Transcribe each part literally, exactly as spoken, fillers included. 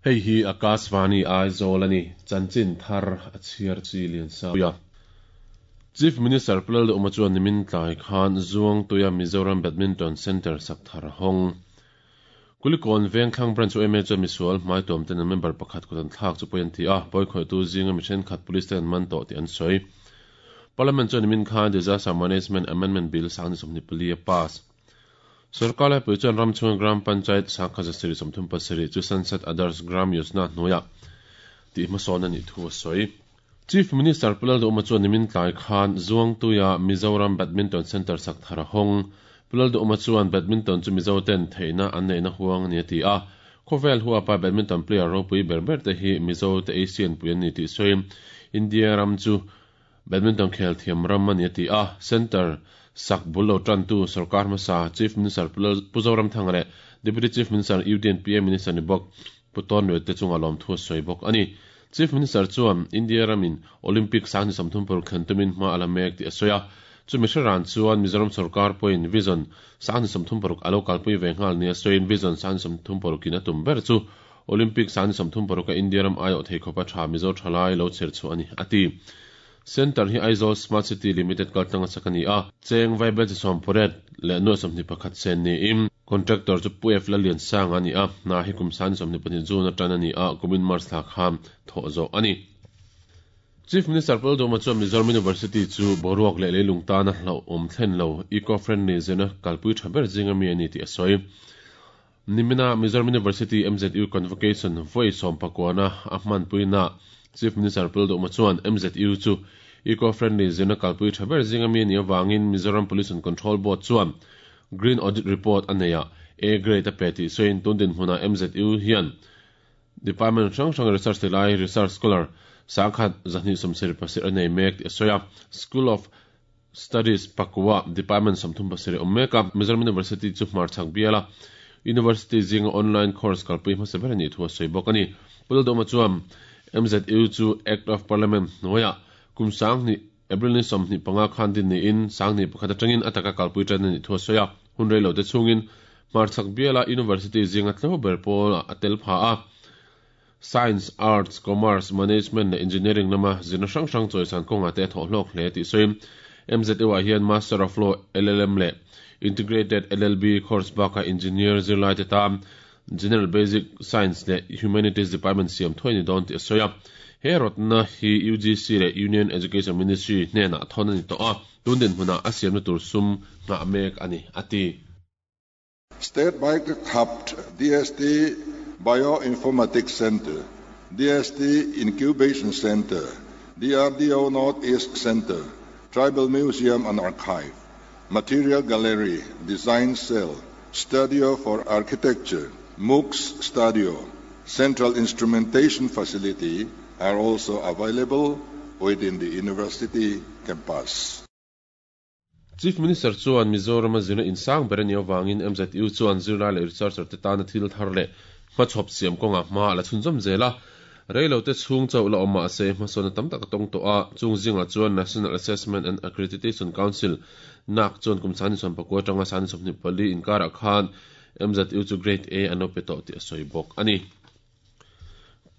Hei hi Akashvani Aizawl ani chanchin thar a chhiar chi lian sa ya. Chief Minister Pu Lalduhoma chuan nimin tlai khan Zuangtuia Mizoram Badminton Centre sak thar hawng. Kulikawn Vengthlang Branch U M A chuan misual hmaituam ten an member pakhat kut an thlak chu pawi an ti a, pawi khawihtu zinga mi thenkhat police ten an man tawh tih an sawi. Parliament chuan nimin khan Disaster Management Amendment Bill sang ni sawmhnih pali a pass. Sorkar laipui chuan ram chhunga Gram Panchayat sangkhat zasarih sawmthum pasarih chu Sansad Adarsh Gram Yojana hnuaiah tih hmasawn a nih thu a sawi. Chief Minister Pu Lalduhoma chuan nimin tlai khan Zuangtuia Mizoram Badminton Centre sak thar a hawng. Pu Lalduhoma chuan badminton chu Mizo ten theihna an neihna huang a ni a ti a. Khawvel huapa badminton player ropui ber ber te hi Mizo te Asian pui an ni tih sawiin India ram chu badminton khel thiam ram a ni a ti a. Centre sak bul lo tantu sorkar hmasa Chief Minister Pu Zoramthanga leh Deputy Chief Minister U D N P A Minister ni bawk Pu Tawnluaia te chunga lawmthu a sawi bawk a ni. Chief Minister chuan India ramin Olympic sang ni sawmthum paruk thlen tumin hma a la mek tih a sawi a. Chumi hre ran chuan Mizoram sorkar pawhin Vision sang ni sawmthum paruk a lo kalpui ve nghal nia sawiin Vision sang ni sawmthum parukin a tum ber chu Olympic sang ni sawmthum paruka India ram aiawh thei khawpa tha Mizo thalai lo chher chhuah a ni a ti. Centre hi Aizawl Smart City Limited kaltlanga sak a ni a. Cheng vaibelchhe sawm pariat leh nuai sawmhnih pakhat sen niin contractor chu Pu F Lalliansanga a ni a. Hna hi kum sang ni sawmhnih pahnih June atan a ni a, kumin March thla khan thawh zawh a ni. Chief Minister Pu Lalduhoma chuan Mizoram University chu boruak leh leilung tana hlauhawm thlen lo eco-friendly zirna kalpui tha ber zinga mi a ni tih a sawi. Nimina Mizoram University M Z U Convocation vawi sawm pakuana a hmanpuina Chief Minister Pu Lalduhoma chuan M Z U chu eco-friendly zirna kalpui tha ber zinga mi a nih avangin Mizoram Pollution Control Board chuan Green Audit Report a nei a A grade a pe tih sawiin tun dinhmunah M Z U hian Department hrang hrang research ti lai research scholar sangkhat zahnih sawmsarih pasarih a nei mek tih a sawi a. School of Studies pakua Department sawmthum pasarih awm mek a. Mizoram University chu hmarchhak biala University zinga online course kalpui hmasa ber a nih thu a sawi bawk a ni. Pu Lalduhoma chuan M Z U chu Act of Parliament hnuaiah kum sanghnih April ni sawmhnih panga khan din niin sanghnih pakhat atangin a taka kalpui tan a nih thu a sawi a. Hun rei lo te chhungin hmarchhak biala University zinga tlo ber pawl a tel pha a. Science, Arts, Commerce, Management leh Engineering lama zirna hrang hrang chawisan kawnga te a thawh hlawk hle tih sawiin M Z U ah hian Master of Law L L M leh Integrated L L B course bakah Engineer zirlai te tan General Basic Science leh Humanities Department siam thuai ni dawn tih a sawi a. He rawtna hi U G C leh Union Education Ministry hnenah thawn a ni tawh a, tun dinhmunah a siamna tur sum nghah mek a ni a ti. State Biotech Hub, D S T Bioinformatics Center, D S T Incubation Center, D R D O Northeast Center, Tribal Museum and Archive, Material Gallery, Design Cell, Studio for Architecture, MOOCs Studio, Central Instrumentation Facility are also available within the university campus. Chief Minister chuan Mizoram a zirna insang ber ani awangin M Z U chuan zirlai leh researcher te tana thil thar leh hmachhawp siam kawnga hma la chhunzawm zela reilo te chhung chauh la awm mahse hmasawna tam tak a tawng tawh a. Chung zinga chuan National Assessment and Accreditation Council N A C chuan kum sangni sawm pakua atanga sangni sawmhnih pali inkarah khan M Z U chu Grade A an lo pe tawh tih a sawi bawk ani.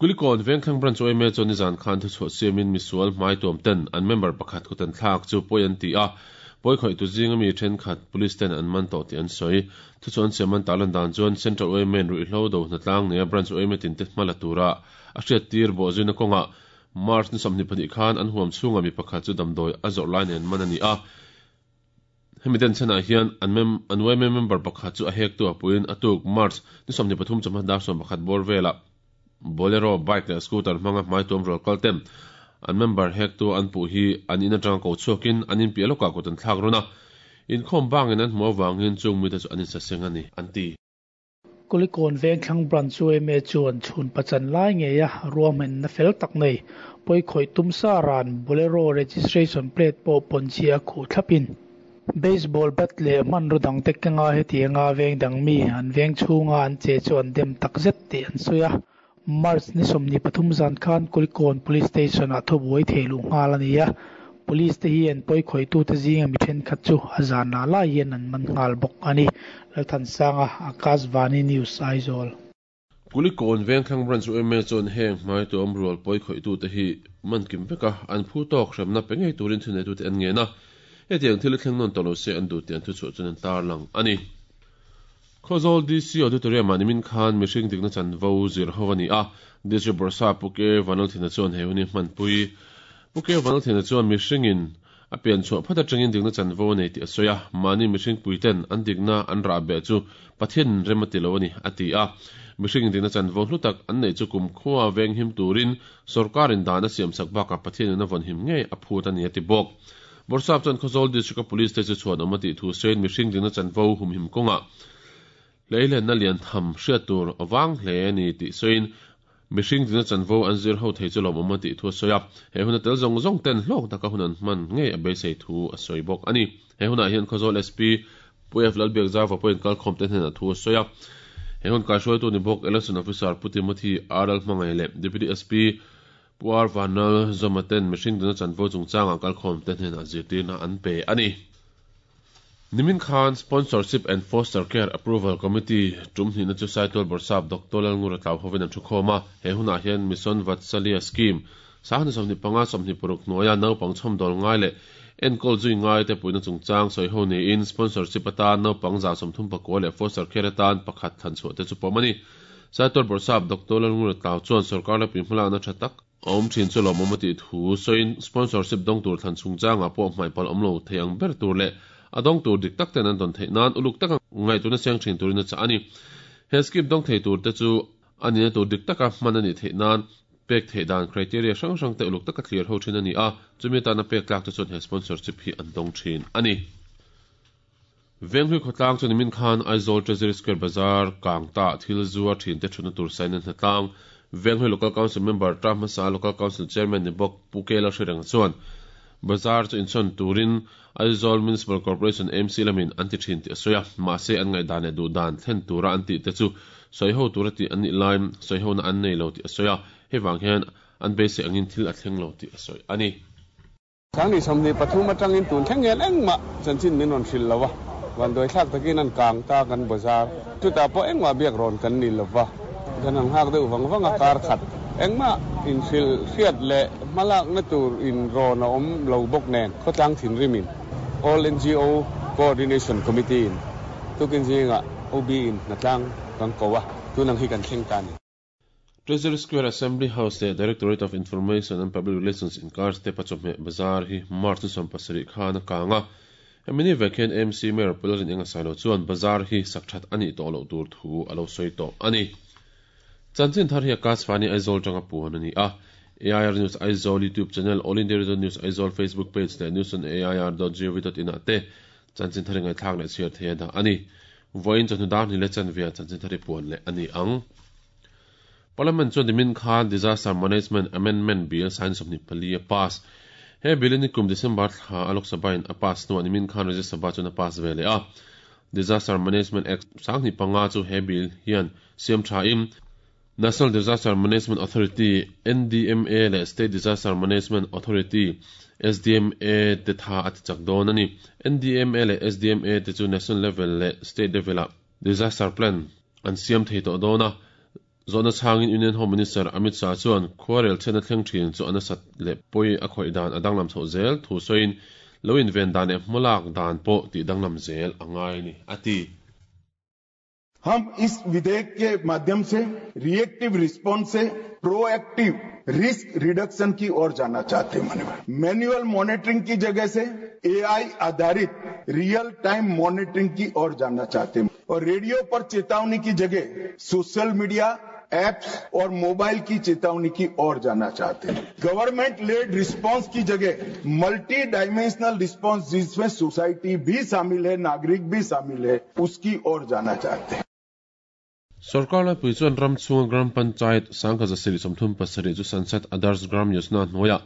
Kulikawn Vengthlang Branch Y M A chuan nizan khan thu chhuah siamin misual hmaituam ten an member pakhat kutan thlak chu pawi an ti a, pawi khawih tu zinga mi thenkhat police ten an man tawh tih an sawi. Thu chuan siaman tarlan dan chuan Central Y M A ruihhlo do hnatlang nei a branch Y M A tin te hmala tura a hriat tir bawh zuina kawnga March ni sawmhnih pahnih khan an huam chhunga mi pakhat chu damdawi a zawrh lai nen man ani a. Hemi den chenah hian an mem an Y M A member pakhat chu a hek tu a puin a tuk March ni sawmhnih pathum chawhma dar sawm pakhat bawr vela Bolero bike leh scooter hmanga hmaituam rual kal ten an member hek tu an puh hi an in atanga ko chhuakin an in piah lawkah kut an thlak run a, inkhawm bangin an hmu awangin chung mite chu an insaseng a ni an ti. Kulikawn Vengthlang Branch Y M A chuan chhun pachan lai ngei a ruahmanna fel tak nei pawi khawih tum sa ran Bolero registration plate pawh pawnchhi a khuh thlapin baseball bat leh hmanraw dang te kenga hetianga veng dang mi an veng chhunga an che chu an dem takzet tih an sawi a. March ni sawmhnih pathum zan khan Kulikawn Police Station ah thubuai thei luh nghal a ni a. Police te hi an pawi khawih te zinga mi thenkhat chu a zan la lai hian an man nghal bawk ani. Lalthansanga, Akashvani News, Aizawl. Kulikawn Vengthlang Branch U M A chuan heng hmai tuam rual pawi khawih te hi man kim veka an phu tawk hremna pe ngei turin thuneitu te an ngen a, hetiang thil thleng nawn tawh lo se an duh tih an thuchhuah chuan an tarlang ani. Khawzawl D C Auditorium ah nimin khan mihring dikna chanvo zir ho ani a, District Bawrhsap Pu K Vanlalthena chuan he hun hi hmanpui. Pu K Vanlalthena chuan mihringin a pian chhuah phat atangin dikna chanvo a nei tih a sawi a, mahni mihring puiten an dikna an rah beh chu Pathian rem a ti lo ani a ti a. Mihring dikna chanvo hlu tak an nei chu kum khuwa veng him turin sorkarin dan a siam sak bakah Pathianin a vawn him ngei a phut ani a ti bawk. Bawrhsap chuan Khawzawl District Police te chu chhuan awm a tih thu sawiin mihring dikna chanvo humhim kawnga leilenna lian tham hriat tur awang hle ani tih sawiin mihring dikna chanvo an zir ho thei chu lawm awm a tih thu a sawi a, he hun a tel zawng zawng ten hlawk taka hun an hman ngei a beisei thu a sawi bawk ani. He hunah hian Khawzawl S P Pu F Lalbiak Zauva pawhin kalkhawm te hnenah thu a sawi a. He hun kaihruaitu ni bawk Election Officer Pu Timothy R L Hmangaih leh Deputy S P Pu R Vanlal Zawma ten mihring dikna chanvo chungchangah kalkhawm te hnenah zirtirna an pe ani. Nimin khan Sponsorship and Foster Care Approval Committee tum hnihna chu Saitual Bawrhsap Doctor Lalngura Tlau hovin an thu khawm a. He hunah hian Mission Vatsalya Scheme sanghnih sawmhnih panga sawmhnih paruk hnuaia naupang chhawmdawl ngai leh enkawl zui ngai te puihna chungchang sawi ho niin sponsorship atan naupang za sawmthum pakua leh foster care atan pakhat thlan chhuah te chu pawm ani. Saitual Bawrhsap Doctor Lalngura Tlau chuan sarkar la pui hmalakna tha tak a awm thin chu lawmawm a tih thu sawiin sponsorship dawng tur thlan chungchangah pawh hmaih palh awm lo thei ang ber tur leh a dawng tur dik tak ten an dawn theih nan uluk taka ngaihtuahna siang thin turin a chah ani. He scheme dawng thei tur te chu ani na tur dik taka hman ani theih nan pek theih dan criteria hrang hrang te uluk taka clear ho thin ani a, chumi atana pek tlak te chuan he sponsorship hi an dawng thin ani. Venghlui khawtlang chu nimin khan Aizawl Treasury Square Bazar kang ta thil zuar thin te thuna tur sign an hnatlang. Venghlui Local Council member Tra hmasa Local Council Chairman ni bawk Pu Kela hrireng chuan bazar chu insawn turin Aizawl Municipal Corporation M C lamin an ti thin tih a sawi a, mahse an ngaih dan leh duh dan thlen tura an tih te chu sawi ho tura tih an nih lai sawi ho na an nei lo tih a sawi a, hei vang hian an beisei angin thil a thleng lo tih a sawi ani. Sangni sawmhnih pathum atangin tun thleng hian engmah chanchin min rawn hril lo a, vanduai thlak takin an kang ta kan bazar chutah pawh engmah biak rawn kan ni lova, kan han nghak deuh vang vang a, kar khat engmah in hril hriat leh hmalak na tur in rawn a awm lo bawk nen khawtlang thinrimin All N G O Coordination Committee in tukin zinga O B in hnatlang kan ko a, tunang hi kan thleng ta ni. Treasury Square Assembly House leh Directorate of Information and Public Relations inkar step a chawhmeh bazar hi March ni sawm pasarih khan a kang a. Hemi vek hian M C Mayor Pu Lalrinenga Sailo chuan bazar hi sak that ani tawh loh tur thu a lo sawi tawh ani. Chanchin thar hi Akashvani Aizawl tanga puan ani a. A I R News Aizawl YouTube channel, All India Radio News Aizawl Facebook page leh news on A I R dot gov dot in ah te chanchin thar ngai thlak leh chhiar thei da ani. Voin chawhnu dar ni le chanvia chanchin thar puan leh ani ang. Parliament chuan nimin khan Disaster Management Amendment Bill sign sawmhnih pali a pass. He bill ni kum December thla a Lok Sabha in a pass hnuah nimin khan Rajya Sabha chuan a pass ve leh a. Disaster Management Act sanghnih panga chu he bill hian siam tha in National Disaster Management Authority N D M A leh State Disaster Management Authority S D M A te tha a ti chak dawn ani. N D M A leh S D M A te chu national level leh state level a disaster plan an siam thei tawh dawn a. Zawhna chhangin Union Home Minister Amit Shah chuan khuarel chhiatna thleng thin chu an sat leh pawi a khawih dan a danglam chho zel thu sawiin lo inven dan leh hmalak dan pawh tih danglam zel a ngai ni a ti. हम इस विधेयक के माध्यम से reactive response से proactive risk reduction की ओर जाना चाहते हैं। मैनुअल मॉनिटरिंग की जगह से एआई आधारित real time monitoring की ओर जाना चाहते हैं और रेडियो पर चेतावनी की जगह social media apps और मोबाइल की चेतावनी की ओर जाना चाहते हैं। Government led response की जगह multi dimensional response, जिसमें सोसाइटी भी शामिल है, नागरिक भी शामिल है, उसकी ओर जाना चाहते हैं। Sarkar laipui chuan ram chhunga Gram Panchayat sangkhat zasarih sawmthum pasarih chu Sansad Adarsh Gram Yojana hnuaia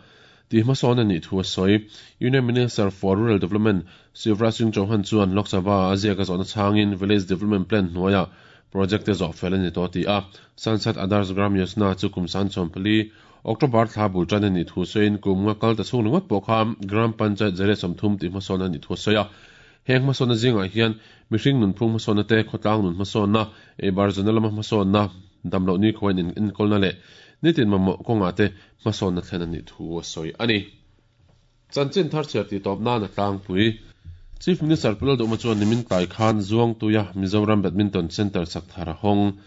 tih hmasawn ani thu a sawi. Union Minister for Rural Development Shivraj Singh Chauhan chuan Lok Sabha a ziaka zawhna chhangin Village Development Plan hnuaia project te zawh fel ani tawh ti a. Sansad Adarsh Gram Yojana chu kum san sawm pali October thla bul tan ani thu sawiin kum nga kal ta chhung ringawt pawh kha Gram Panchayat zariat sawmthum tih hmasawn ani thu a sawi a. Heng hmasawnna zingah hian mihring nunphung hmasawnna te, khawtlang nun hmasawnna, ei bar zana lama hmasawnna, Damlo ni khawiin in enkawlna leh nitin mamawh kawngah te hmasawnna thlen a nih thu a sawi a ni. Chanchin thar chhiar tih tawp nan a tlangpui. Chief Minister Pu Lalduhma chuan nimin tlai khan Zuangtuia Mizoram Badminton Centre sak thar a hawng.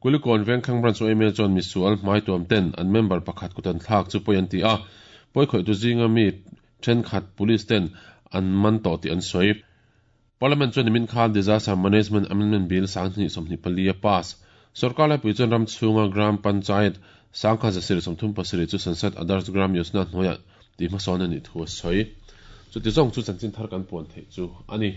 Kulikawn Vengthlang Branch yma chuan misual hmaituam ten an member pakhat kut an thlak chu pawi an ti a, pawi khawihtu zinga mi thenkhat police ten an man tawh tih an sawi. Parliament chuan nimin khan Disaster Management Amendment Bill sanghnih sawmhnih pali a pass. Sorkar laipui chuan ram chhunga Gram Panchayat sangkha zasarih sawmthum pasarih chu Sansad Adarsh Gram Yojana hnuaiah tih hmasawn a nih thu a sawi. Chuti zawng chu chanchin thar kan puan theih chu a ni.